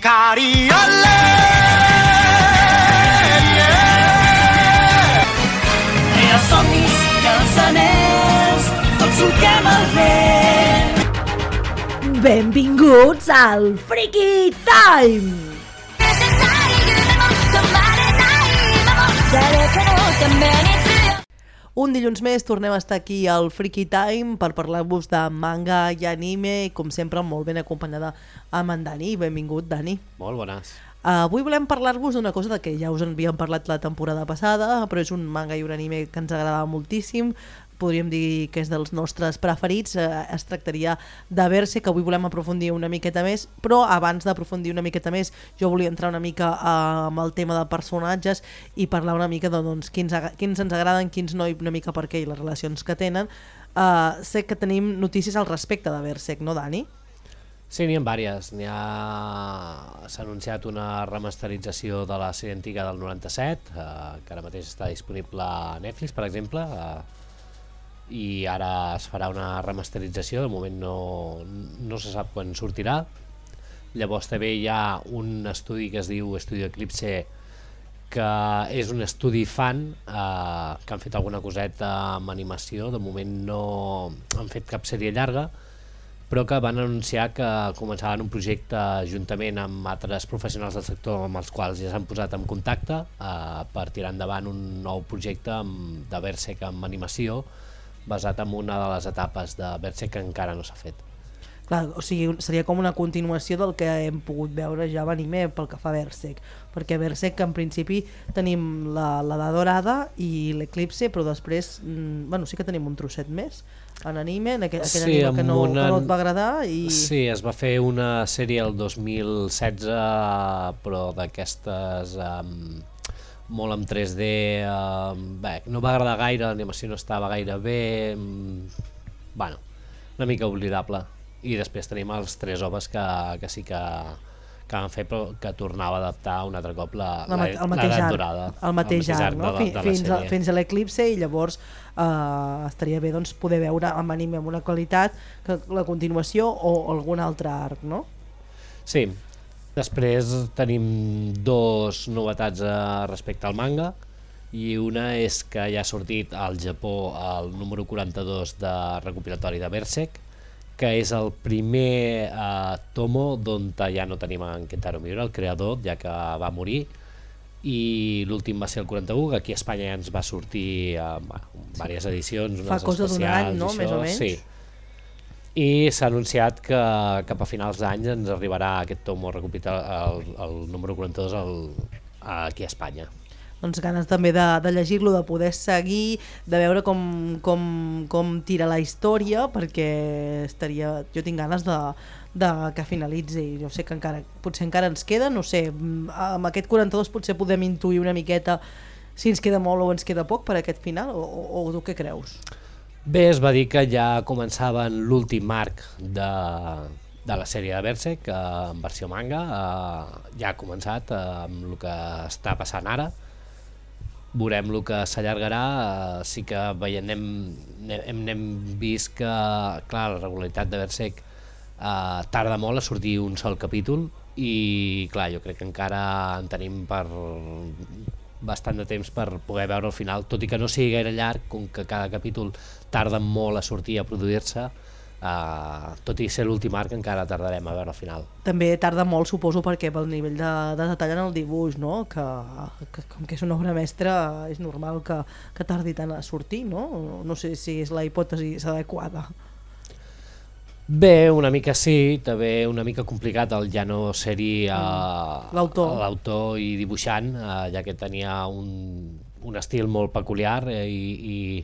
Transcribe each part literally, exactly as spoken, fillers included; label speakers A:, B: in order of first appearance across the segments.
A: Ikari ole,
B: Tria somnis, cançoners, tots solquem el vent.
C: Benvinguts al Freaky Time! Un dilluns més tornem a estar aquí al Freaky Time per parlar-vos de manga i anime, com sempre molt ben acompanyada amb en Dani. Benvingut, Dani.
D: Molt bones.
C: Uh, avui volem parlar-vos d'una cosa de que ja us en havíem parlat la temporada passada, però és un manga i un anime que ens agrada moltíssim. Podríem dir que és dels nostres preferits. Uh, es tractaria de Berserk, que avui volem aprofundir una miqueta més, però abans d'aprofundir una miqueta més jo volia entrar una mica uh, amb el tema de personatges i parlar una mica de doncs, quins, quins ens agraden, quins no, i una mica per què i les relacions que tenen. Uh, sé que tenim notícies al respecte de Berserk, no, Dani?
D: Sí, n'hi ha diverses. N'hi ha... S'ha anunciat una remasterització de la sèrie antiga del noranta-set, eh, que ara mateix està disponible a Netflix, per exemple, eh, i ara es farà una remasterització. De moment no, no se sap quan sortirà. Llavors també hi ha un estudi que es diu Estudio Eclipse, que és un estudi fan, eh, que han fet alguna coseta amb animació. De moment no han fet cap sèrie llarga, però que van anunciar que començaven un projecte juntament amb altres professionals del sector amb els quals ja s'han posat en contacte eh, per tirar endavant un nou projecte amb, de Berserk amb animació basat en una de les etapes de Berserk que encara no s'ha fet.
C: Clar, o sigui, seria com una continuació del que hem pogut veure ja a l'anime pel que fa a Berserk, perquè Berserk en principi tenim la, la de Dorada i l'Eclipse, però després mm, bueno, sí que tenim un trosset més en anime, en aquell, aquell
D: sí,
C: anime que no,
D: una...
C: que no et va agradar i...
D: Sí, es va fer una sèrie el dos mil setze, però d'aquestes um, molt en tres D, um, bé, no va agradar gaire, l'animació no estava gaire bé, um, bueno, una mica oblidable. I després tenim els tres oves que, que sí que, que van fer, però que tornava a adaptar un altre cop la,
C: la,
D: la, l'edat dorada.
C: El mateix art, no?
D: de, de
C: fins, a, fins a l'Eclipse, i llavors eh, estaria bé doncs, poder veure amb anime amb una qualitat que la continuació o algun altre arc, no?
D: Sí. Després tenim dos novetats eh, respecte al manga, i una és que ja ha sortit al Japó el número quaranta-dos de recopilatori de Berserk, que és el primer eh, tomo d'on ja no tenim en Kentaro Miura, el creador, ja que va morir, i l'últim va ser el quaranta-u, que aquí a Espanya ja ens va sortir eh, en diverses edicions,
C: fa cosa d'un any, no? Més o menys.
D: Sí. I s'ha anunciat que cap a finals d'any ens arribarà aquest tomo recopilatori, el, el número quaranta-dos el, aquí a Espanya.
C: Doncs ganes també de, de llegir-lo, de poder seguir, de veure com, com, com tira la història, perquè estaria, jo tinc ganes de, de que finalitzi. Jo sé que encara, potser encara ens queda, no sé, amb aquest quaranta-dos potser podem intuir una miqueta si ens queda molt o ens queda poc per aquest final, o, o, o tu què creus?
D: Bé, es va dir que ja començaven l'últim arc de, de la sèrie de Berserk, eh, en versió manga, eh, ja ha començat eh, amb el que està passant ara. Veurem el que s'allargarà. Eh, sí que veiem, hem, hem, hem vist que clar, la regularitat de Berserk eh, tarda molt a sortir un sol capítol, i clar, jo crec que encara en tenim per bastant de temps per poder veure el final, tot i que no sigui gaire llarg, com que cada capítol tarda molt a sortir, a produir-se. Uh, tot i ser l'últim arc encara tardarem a veure el final.
C: També tarda molt, suposo, perquè pel nivell de, de detall en el dibuix, no? Que, que com que és una obra mestra és normal que, que tardi tant a sortir, no? No sé si és la hipòtesi adequada.
D: Bé, una mica sí, també una mica complicat el ja no ser-hi uh,
C: l'autor.
D: l'autor i dibuixant, uh, ja que tenia un, un estil molt peculiar, eh, i, i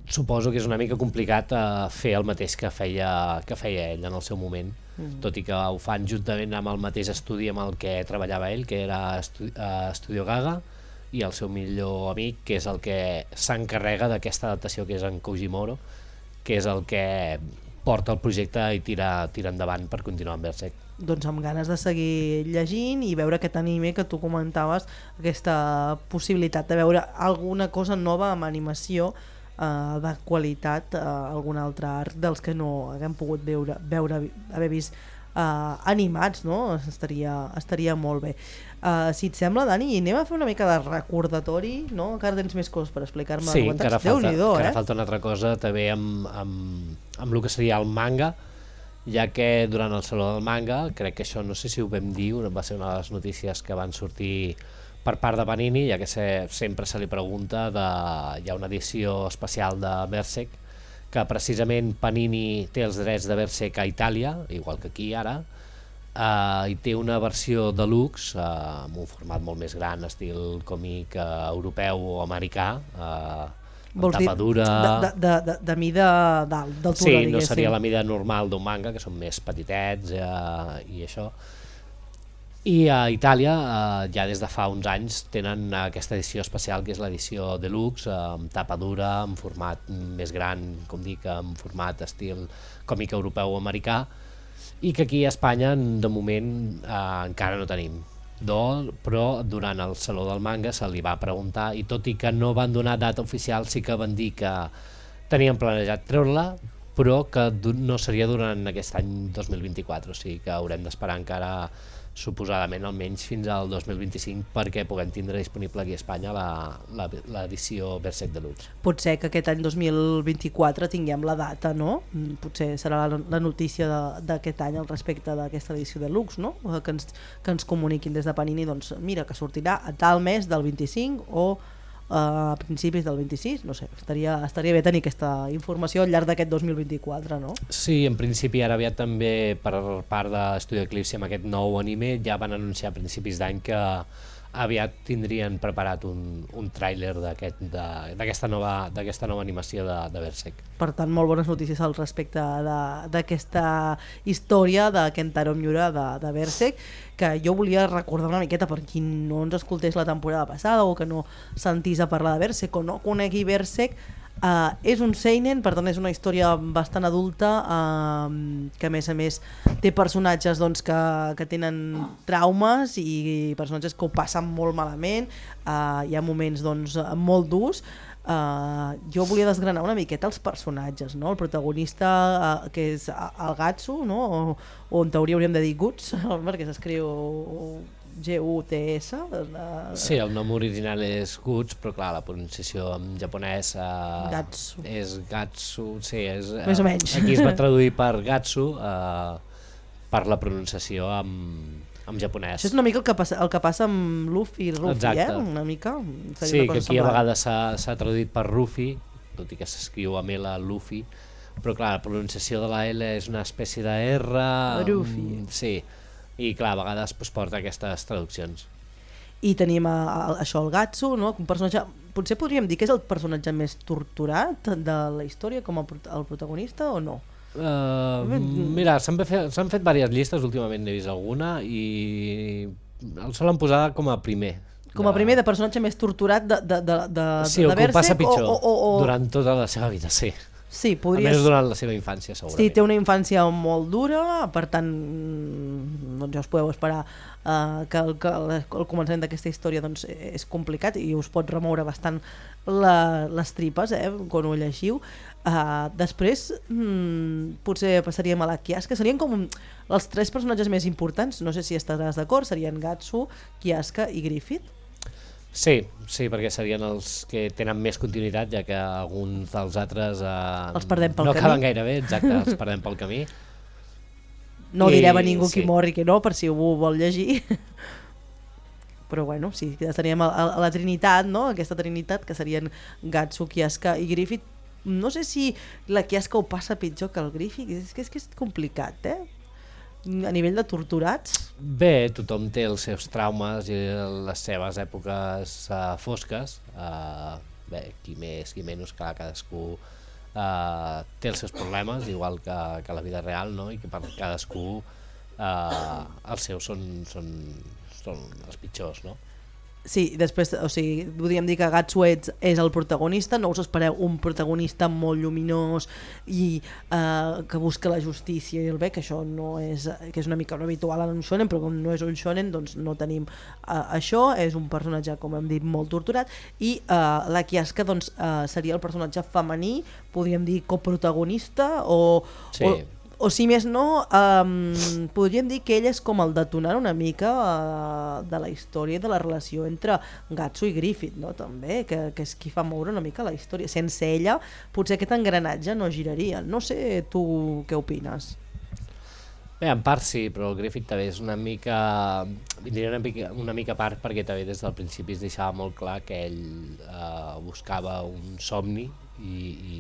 D: suposo que és una mica complicat uh, fer el mateix que feia, que feia ell en el seu moment, mm. tot i que ho fan juntament amb el mateix estudi amb el que treballava ell, que era Estu uh, Studio Gaga, i el seu millor amic, que és el que s'encarrega d'aquesta adaptació, que és en Kojimoro, que és el que porta el projecte i tira, tira endavant per continuar amb Berserk.
C: Doncs amb ganes de seguir llegint i veure aquest anime que tu comentaves, aquesta possibilitat de veure alguna cosa nova amb animació, Uh, de qualitat, uh, algun altre arc dels que no haguem pogut veure, veure haver vist uh, animats, no? Estaria, estaria molt bé. Uh, si et sembla, Dani, anem a fer una mica de recordatori, no? Encara tens més coses per explicar-me.
D: Sí, encara falta, encara
C: eh?
D: falta una altra cosa també amb, amb, amb el que seria el manga, ja que durant el Saló del Manga, crec que això no sé si ho vam dir, va ser una de les notícies que van sortir per part de Panini, ja que se, sempre se li pregunta, de, hi ha una edició especial de Berserk, que precisament Panini té els drets de Berserk a Itàlia, igual que aquí ara, eh, i té una versió deluxe, eh, amb un format molt més gran, estil còmic eh, europeu o americà, eh,
C: Vols dir,
D: tapa dura...
C: de, de, de, de mida d'altura,
D: sí,
C: diguéssim.
D: no seria la mida normal d'un manga, que són més petitets eh, i això. I a Itàlia, eh, ja des de fa uns anys, tenen aquesta edició especial, que és l'edició deluxe, eh, amb tapa dura, en format més gran, com dic, en format estil còmic europeu o americà, i que aquí a Espanya, de moment, eh, encara no tenim. Do, però durant el Saló del Manga se li va preguntar, i tot i que no van donar data oficial, sí que van dir que tenien planejat treure-la, però que no seria durant aquest any dos mil vint-i-quatre, o sigui que haurem d'esperar encara suposadament almenys fins al dos mil vint-i-cinc perquè puguem tindre disponible aquí a Espanya l'edició Berserk Deluxe.
C: Pot ser que aquest any dos mil vint-i-quatre tinguem la data, no? Potser serà la, la notícia d'aquest any al respecte d'aquesta edició Deluxe, no? Que ens, que ens comuniquin des de Panini, doncs mira, que sortirà a tal mes del vint-i-cinc o a principis del vint-i-sis, no sé, estaria, estaria bé tenir aquesta informació al llarg d'aquest dos mil vint-i-quatre, no?
D: Sí, en principi ara aviat també per part de Studio Eclipse amb aquest nou anime ja van anunciar a principis d'any que aviat tindrien preparat un, un tràiler d'aquesta nova, d'aquesta nova animació de, de Berserk.
C: Per tant, molt bones notícies al respecte d'aquesta història de Kentaro Miura de, de Berserk, que jo volia recordar una miqueta per qui no ens escoltés la temporada passada o que no sentís a parlar de Berserk o no conegui Berserk. Uh, és un seinen, per tant és una història bastant adulta, uh, que a més a més té personatges doncs, que, que tenen traumes i personatges que ho passen molt malament, uh, hi ha moments doncs, molt durs. Uh, jo volia desgranar una miqueta els personatges, no? El protagonista uh, que és el Gatsu, no? o, o en teoria hauríem de dir Guts perquè s'escriu G U T S. Uh,
D: sí, el nom original és Guts, però clar, la pronunciació en japonès uh,
C: Gatsu.
D: és Gatsu, sí, és, uh,
C: més o menys.
D: Aquí es va traduir per Gatsu uh, per la pronunciació en, en japonès.
C: Això és una mica el que passa, el que passa amb Luffy i Ruffy, eh? Una mica.
D: Sí, una que aquí a vegades s'ha traduït per Ruffy, tot i que s'escriu amb L Luffy, però clar, la pronunciació de la L és una espècie de R.
C: Ruffy.
D: Um, sí, i clar, a vegades pues, porta aquestes traduccions.
C: I tenim a, a, això, el Gatsu, no? Un personatge, potser podríem dir que és el personatge més torturat de la història com a, el protagonista o no?
D: Uh, mira, s'han fet, s'han fet diverses llistes, últimament n'he vist alguna i el solen posar com a primer.
C: Com a primer de personatge més torturat de, de, de, de,
D: sí,
C: de
D: el que ho passa pitjor
C: o, o, o...
D: durant tota la seva vida, sí.
C: Sí, podries...
D: A més durant la seva infància, segurament.
C: Sí, té una infància molt dura, per tant, doncs ja us podeu esperar uh, que, el, que el, el començament d'aquesta història doncs, és complicat i us pot remoure bastant la, les tripes eh, quan ho llegiu. Uh, després, mm, potser passaríem a la Kiaska, serien com els tres personatges més importants, no sé si estaràs d'acord, serien Gatsu, Kiaska i Griffith.
D: Sí, sí, perquè serien els que tenen més continuïtat, ja que alguns dels altres eh,
C: els perdem pel
D: no
C: camí.
D: acaben gaire bé, exacte, els perdem pel camí.
C: No
D: I,
C: direm a ningú
D: sí.
C: qui mor i qui no, per si ho vol llegir. Però bueno, sí, estaríem a, a la Trinitat, no? Aquesta Trinitat, que serien Gatsu, Kiaska i Griffith. No sé si la Kiaska ho passa pitjor que el Griffith, és que és, que és complicat, eh? A nivell de torturats?
D: Bé, tothom té els seus traumes i les seves èpoques uh, fosques. Uh, bé, qui més, qui menys, clar, cadascú uh, té els seus problemes, igual que, que la vida real, no? I que per cadascú uh, els seus són, són, són els pitjors, no?
C: Sí, després, o sigui, podríem dir que Gatsu és, és el protagonista, no us espereu un protagonista molt lluminós i eh, que busca la justícia i el bé, que això no és, que és una mica no habitual en un shonen, però com no és un shonen, doncs no tenim eh, això, és un personatge, com hem dit, molt torturat, i eh, la Kiaska doncs, eh, seria el personatge femení, podríem dir coprotagonista, o,
D: sí.
C: o o si més no, um, podríem dir que ell és com el detonant una mica uh, de la història de la relació entre Gatsu i Griffith, no? També, que, que és qui fa moure una mica la història. Sense ella, potser aquest engranatge no giraria. No sé tu què opines.
D: Bé, en part sí, però el Griffith també és una mica, diria una mica, una mica a part, perquè també des del principi es deixava molt clar que ell eh, buscava un somni i, i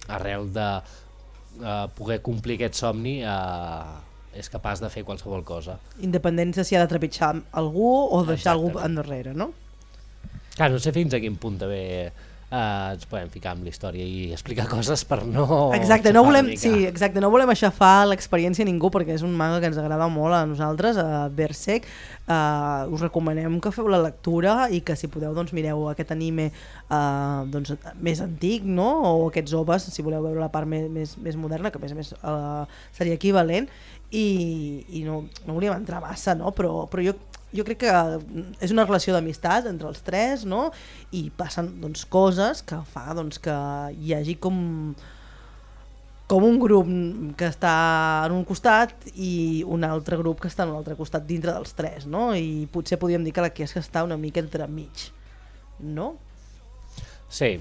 D: arrel de eh, poder complir aquest somni eh, és capaç de fer qualsevol cosa.
C: Independent de si ha de trepitjar algú o deixar
D: Exactament.
C: algú endarrere, no?
D: Clar, no sé fins a quin punt també Uh, ens podem ficar amb la història i explicar coses per no...
C: Exacte, no volem, sí, exacte, no volem aixafar l'experiència a ningú perquè és un manga que ens agrada molt a nosaltres, a Berserk. Uh, us recomanem que feu la lectura i que si podeu doncs mireu aquest anime uh, doncs, més antic, no? O aquests O V As, si voleu veure la part més, més, més moderna, que a més a més uh, seria equivalent, i, i no, no volíem entrar massa, no? Però, però jo Jo crec que és una relació d'amistat entre els tres, no? I passen doncs, coses que fa doncs, que hi hagi com, com un grup que està en un costat i un altre grup que està en un altre costat dintre dels tres, no? I potser podríem dir que la Kiesca està una mica entremig, no?
D: Sí.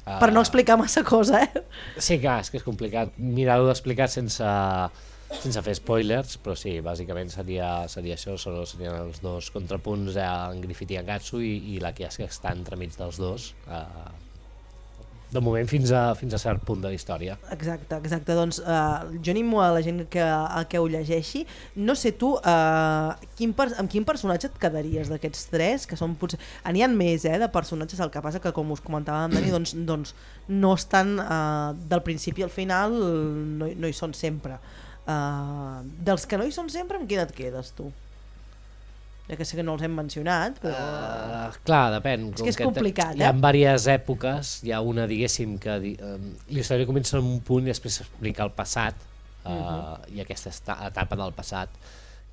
D: Uh...
C: Per no explicar massa cosa, eh?
D: Sí, clar, és que és complicat mirar-ho d'explicar sense... sense fer spoilers, però sí, bàsicament seria, seria això, serien els dos contrapunts, eh, en Griffith i en Gatsu, i, i la Kiesca està entremig dels dos, eh, de moment fins a, fins a cert punt de la història.
C: Exacte, exacte, doncs eh, jo animo a la gent que, a que ho llegeixi. No sé tu, eh, quin per, amb quin personatge et quedaries d'aquests tres, que són potser... N'hi ha més eh, de personatges, el que passa que com us comentava amb Dani, doncs, doncs no estan eh, del principi al final, no, no hi són sempre. Uh, dels que no hi són sempre, amb quin et quedes tu? Ja que sé que no els hem mencionat, però... Uh,
D: clar, depèn.
C: És que és complicat, eh?
D: Hi ha diverses èpoques, hi ha una, diguéssim, que uh, la història comença en un punt i després s'explica el passat, uh, uh-huh. i aquesta etapa del passat,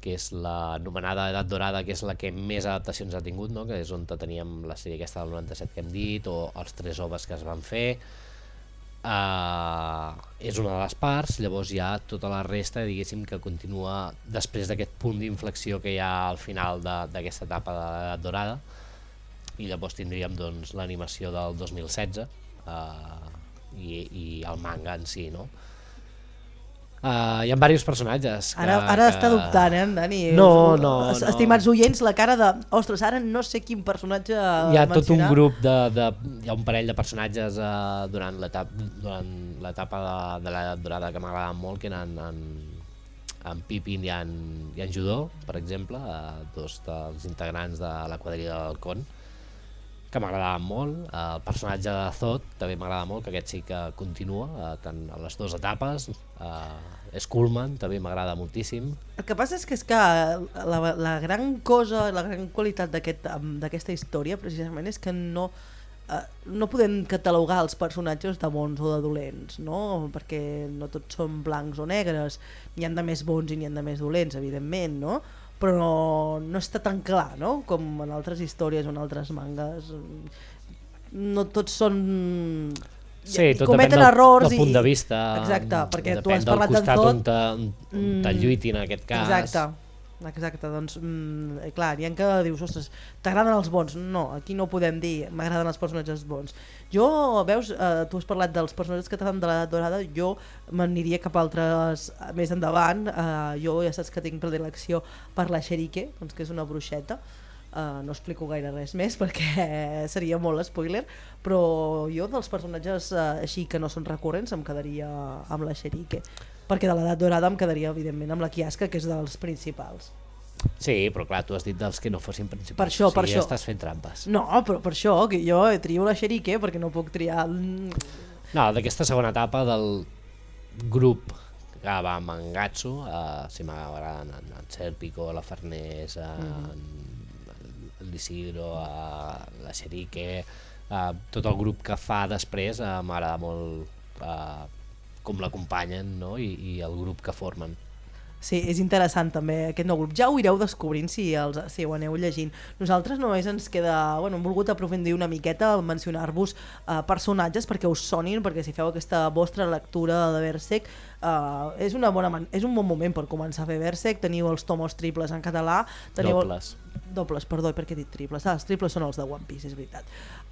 D: que és l'anomenada Edat Dorada, que és la que més adaptacions ha tingut, no? Que és on teníem la sèrie aquesta del noranta-set que hem dit, o els tres O V As que es van fer. Uh, és una de les parts, llavors hi ha tota la resta, diguéssim, que continua després d'aquest punt d'inflexió que hi ha al final d'aquesta etapa de l'Edat Dorada, i llavors tindríem doncs, l'animació del dos mil setze uh, i, i el manga en si, no? Uh, hi ha diversos personatges que,
C: ara, ara
D: que...
C: està dubtant, eh, Dani?
D: No, no, no.
C: Estimats oients, la cara de ostres, ara no sé quin personatge
D: hi ha
C: mencionar.
D: tot un grup de, de, hi ha un parell de personatges uh, durant l'etapa durant l'etapa de, de l'Edat Dorada que m'agraden molt, que eren en, en Pippin i en, i en Judó, per exemple, uh, dos dels integrants de la quadrilla del Con, que m'agradava molt. Uh, el personatge de Zod també m'agrada molt, que aquest sí que continua uh, tant a les dues etapes. uh, Skullman també m'agrada moltíssim.
C: El que passa és que, és que la, la gran cosa, la gran qualitat d'aquesta aquest, història precisament és que no, eh, no podem catalogar els personatges de bons o de dolents, no? Perquè no tots són blancs o negres, n'hi ha de més bons i n'hi ha de més dolents, evidentment, no? Però no, no està tan clar, no? Com en altres històries o en altres mangas. No tots són...
D: Sí, tot
C: cometen
D: depèn del,
C: errors
D: del punt
C: i...
D: de vista.
C: Exacte, perquè tu has
D: del
C: parlat
D: costat
C: d'en
D: on
C: Zod.
D: te, on te lluitin en aquest cas.
C: Exacte, exacte, doncs mm, clar, hi ha que dius, ostres, t'agraden els bons? No, aquí no ho podem dir, m'agraden els personatges bons. Jo, veus, eh, tu has parlat dels personatges que t'agraden de l'Edat Dorada, jo m'aniria cap a altres més endavant. eh, jo ja saps que tinc predilecció per la Sherike, doncs, que és una bruixeta. Uh, no explico gaire res més perquè seria molt spoiler, però jo dels personatges uh, així que no són recurrents em quedaria amb la Sherike, perquè de l'Edat Dorada em quedaria evidentment amb la Kiesca, que és dels principals.
D: Sí, però clar, tu has dit dels que no fossin principals.
C: Per això, per
D: sí,
C: això.
D: Ja estàs fent trampes.
C: No, però per això que jo trio la Sherike perquè no puc triar...
D: No, d'aquesta segona etapa del grup que va amb en Gatsu, uh, si m'agraden en, en Serpico, la Farners, uh, mm-hmm. l'Isidro, uh, la Sherike, uh, tot el grup que fa després uh, m'agrada molt uh, com l'acompanyen, no? I, i el grup que formen.
C: Sí, és interessant també aquest nou grup. Ja ho ireu descobrint si, els, si ho aneu llegint. Nosaltres només ens queda... Bueno, hem volgut aprofundir una miqueta al mencionar-vos uh, personatges perquè us sonin, perquè si feu aquesta vostra lectura de Berserk uh, és, una bona man és un bon moment per començar a fer Berserk. Teniu els tomos triples en català. Teniu
D: Dobles.
C: Dobles, perdó, perquè he dit triples. Ah, els triples són els de One Piece, és veritat.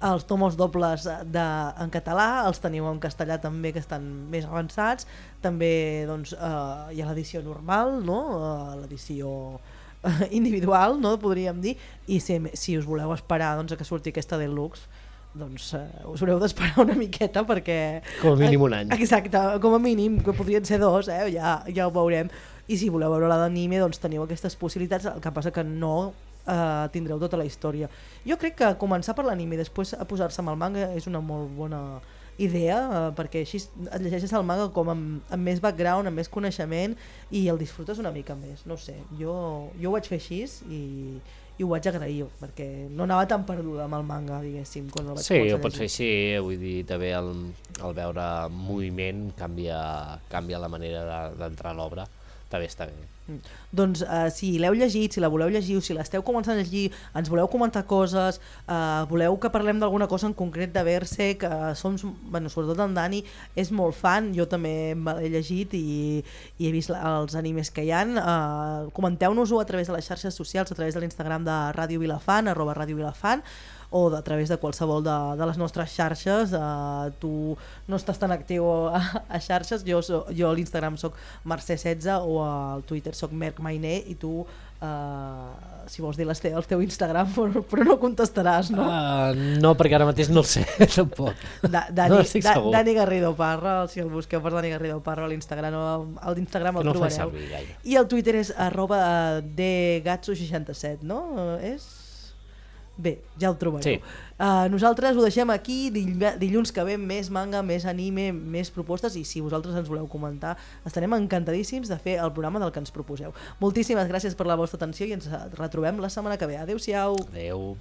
C: Els tomos dobles de, en català, els teniu en castellà també, que estan més avançats. També doncs, uh, hi ha l'edició normal, no? uh, l'edició uh, individual, no? Podríem dir, i si, si us voleu esperar doncs, a que surti aquesta deluxe, doncs uh, us haureu d'esperar una miqueta perquè...
D: Com a mínim un any.
C: Exacte, com a mínim, que podrien ser dos, eh? ja, ja ho veurem. I si voleu veure la d'anime, doncs teniu aquestes possibilitats, el que passa que no uh, tindreu tota la història. Jo crec que començar per l'anime i després a posar-se amb el manga és una molt bona idea, uh, perquè així et llegeixes el manga com amb, amb més background, amb més coneixement i el disfrutes una mica més, no sé, jo, jo ho vaig fer així i, i ho vaig agrair perquè no anava tan perduda amb el manga, diguéssim, quan el vaig
D: sí, ho pots fer així, vull dir, també el, el veure moviment canvia, canvia la manera d'entrar de, a l'obra, també està bé.
C: Mm. Doncs uh, si l'heu llegit, si la voleu llegir o si l'esteu començant a llegir, ens voleu comentar coses, uh, voleu que parlem d'alguna cosa en concret de Berserk, uh, som, bueno, sobretot en Dani és molt fan, jo també me l'he llegit i, i he vist els animes que hi ha. Uh, comenteu-nos-ho a través de les xarxes socials, a través de l'Instagram de Ràdio Vilafant, arroba Ràdio Vilafant, o a través de qualsevol de, de les nostres xarxes. Uh, tu no estàs tan actiu a, a xarxes, jo, so, jo a l'Instagram soc Mercè setze o al Twitter soc Merc Mainer i tu, uh, si vols dir te el teu Instagram, però, però no contestaràs, no?
D: Uh, no, perquè ara mateix no el sé, tampoc.
C: Da, Dani,
D: no estic
C: da,
D: segur.
C: Dani Garrido Parra, si el busqueu per Dani Garrido Parra a l'Instagram, a l'Instagram el
D: no
C: trobareu. I el Twitter és arroba de gatso seixanta-set, no? Uh, és... Bé, ja el trobareu. Sí. Uh, nosaltres ho deixem aquí, dilluns que ve més manga, més anime, més propostes i si vosaltres ens voleu comentar estarem encantadíssims de fer el programa del que ens proposeu. Moltíssimes gràcies per la vostra atenció i ens retrobem la setmana que ve. Adéu-siau.
D: Adéu.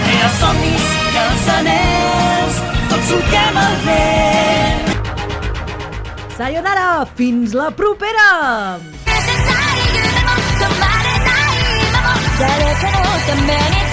B: Rere els somnis i els anells tots solquem el vent.
C: Sayonara, fins la propera!
A: 誰かのために